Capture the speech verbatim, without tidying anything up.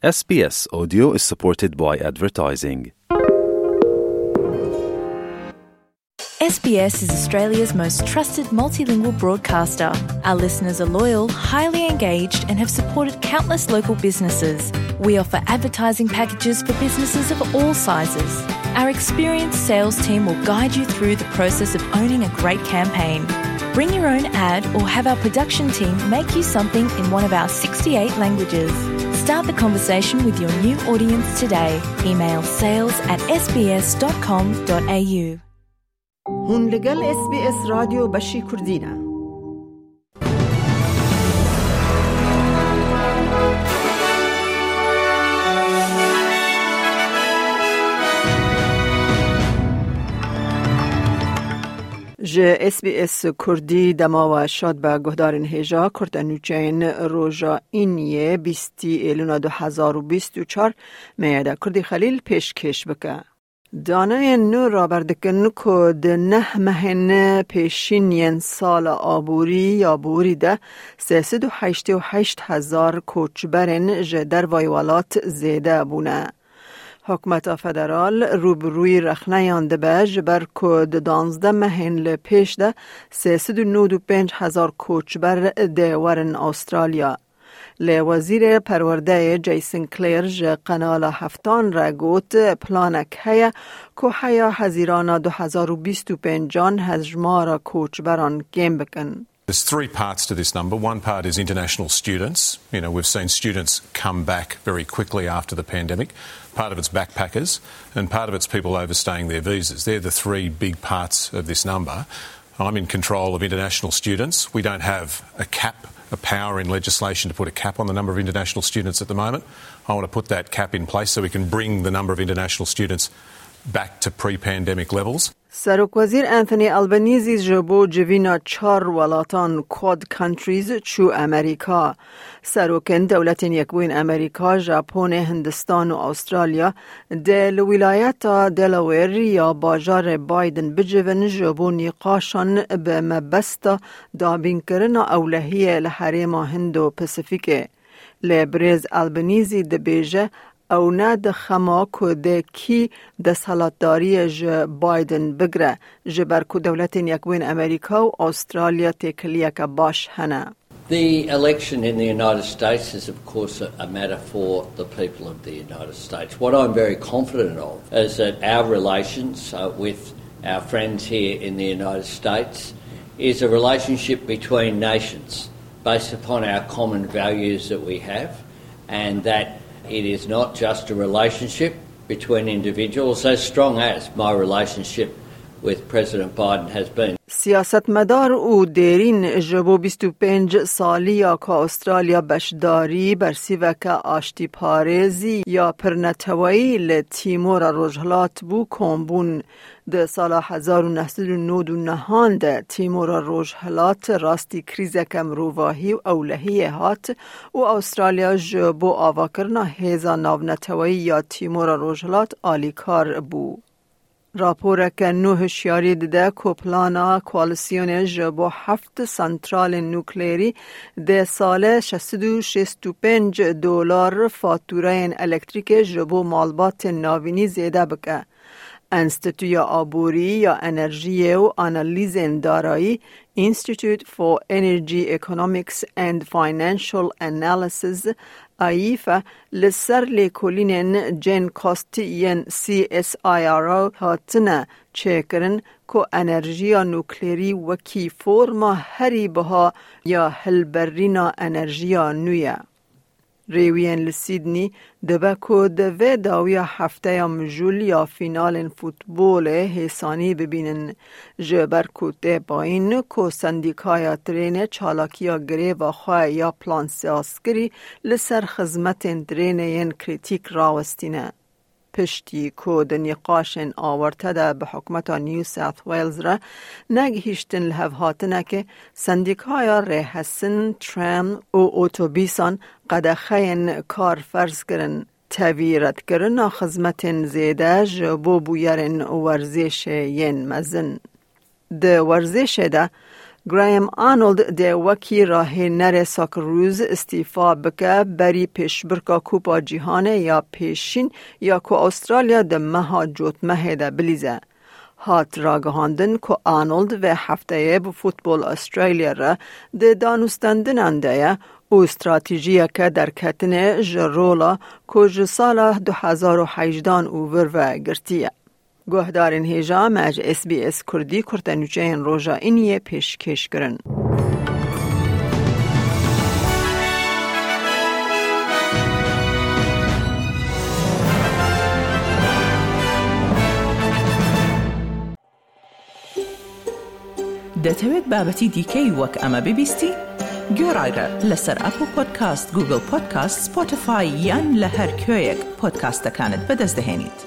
S B S Audio is supported by advertising. S B S is Australia's most trusted multilingual broadcaster. Our listeners are loyal, highly engaged, and have supported countless local businesses. We offer advertising packages for businesses of all sizes. Our experienced sales team will guide you through the process of owning a great campaign. Bring your own ad or have our production team make you something in one of our sixty-eight languages. Start the conversation with your new audience today. Email sales at S B S dot com dot A U. Hûn li gel S B S Radyo Beşî Kurdî ne. Ji S B S Kurdî dema we şad be guhdarên hêja. Kurte nûçeyên roja Îniyê bîstî Êlûna du hezar û bîst û çar me ye de Kurdî Xelîl pêşkêş bike. Daneyên nû raber dikin ku di neh mehên pêşîn yên sala aborî ya borî de sê sed û heştê û heşt hezar koçberên ji dervayî welat zêde bûne. Hikûmeta federal rû bi rûyî rexneyan dibe, ji ber ku di duwazdeh mehên li pêş de sê sed û nod û pênc hezar koçber dê werin Astralya. Lê Wezîrê Perwerdeyê Jason Clare ji Kanala Heftan re got, planek heye ku heya Hezîrana du hezar û bîst û pêncan hejmara koçberan kêm bikin. There's three parts to this number. One part is international students. You know, we've seen students come back very quickly after the pandemic. Part of it's backpackers, and part of it's people overstaying their visas. They're the three big parts of this number. I'm in control of international students. We don't have a cap, a power in legislation to put a cap on the number of international students at the moment. I want to put that cap in place so we can bring the number of international students back to pre-pandemic levels. Serokwezîr Anthony Albanese ji bo civîna çar welatan Quad Countries çû Amerîka. Serokên Dewletên Yekbûyîn Amerîka, Japonê, Hindistan û Astralya dê li wîlayeta Delaware ya bajarê Biden bicivin ji bo nîqaşan bi mebesta dabînkirina ewlehiyê li herêma Hindo-Pasifîkê. Lê birêz Albanese dibêje, ew ne di xema ku dê kî desthilatdariyê ji Biden bigre, ji ber ku Dewletên Yekbûyîn Amerîka û Astralya têkiliyeke baş hene. The election in the United States is, of course, a, a matter for the people of the United States. What I'm very confident of is that our relations, uh, with our friends here in the United States is a relationship between nations based upon our common values that we have, and that it is not just a relationship between individuals, as strong as my relationship with President Biden has been. Siyasetmedar û dêrîn ji bo bîst û pênc saliya ku Astralya beşdarî bersîveke aştîparêzî ya pirneteweyî li Tîmora Rojhilat bû, kom bûn. Di sala hezar û neh sed û nod û nehan de Tîmora Rojhilat rastî krîzeke mirovahî û ewlehiyê hat û Astralya ji bo avakirina hêza navneteweyî ya Tîmora Rojhilat alîkar bû. Raporeke nû hişyarî dide ku plana koalîsyonê ji bo heft santralên nukleerî dê salê şeş sed û şêst û pênc dolar fatûreyên elektrîkê ji bo malbatên navînî zêde bike. Enstîtuya Aborî ya Enerjiyê û Analîzên Darayî, Institute for Energy Economics and Financial Analysis, AIFA, li ser lêkolînên Gen Cost yên C S I R O hatine çêkirin ku enerjiya nukleerî wekî forma herî biha ya hilberîna enerjiya nû ye. Rêwiyên li Sydney dibe ku di vê dawiya hefteya mijûl ya fînalên futbolê hêsanî bibînin, ji ber ku tê payîn ku sendîkaya trênê çalakiya greva xwe ya plan sazkirî li ser xizmetên trênê yên krîtîk rawestîne. Piştî ku di nîqaşên awarte de bi hikûmeta New South Wales re negihîştin li hevhatinekê, sendîkaya rêhesin, tram û otobîsan qedexeyên kar ferz kirin, tevî redkirina xizmetên zêde ji bo bûyerên werzêşê yên mezin. Di werzêşê de Graham Arnold dê wekî rahênerê Socceroos îstîfa bike, berî pêşbirka Kupa Cîhanê ya pêşîn ya ku Astralya di meha Cotmehê de bilîze. Hat ragihandin ku Arnold vê hefteyê bi Football Australia re di danûstendinan de ye û stratejiyeke derketinê ji rola ku ji sala du hezar û hejdan û vir ve girtiye. Guhdarên hêja me ji S B S Kurdî kurtenûçeyên roja îniyê pêşkêş kirin. دەتەوێت بابەتی دیکەی وەک ئەمە ببیستی؟ گوێڕایرە لەسەر ئەپڵ پۆدکاست، گوگڵ پۆدکاست، سپۆتیفای یان لە هەر کوێیەک پۆدکاستەکانت بەدەست دەهێنیت.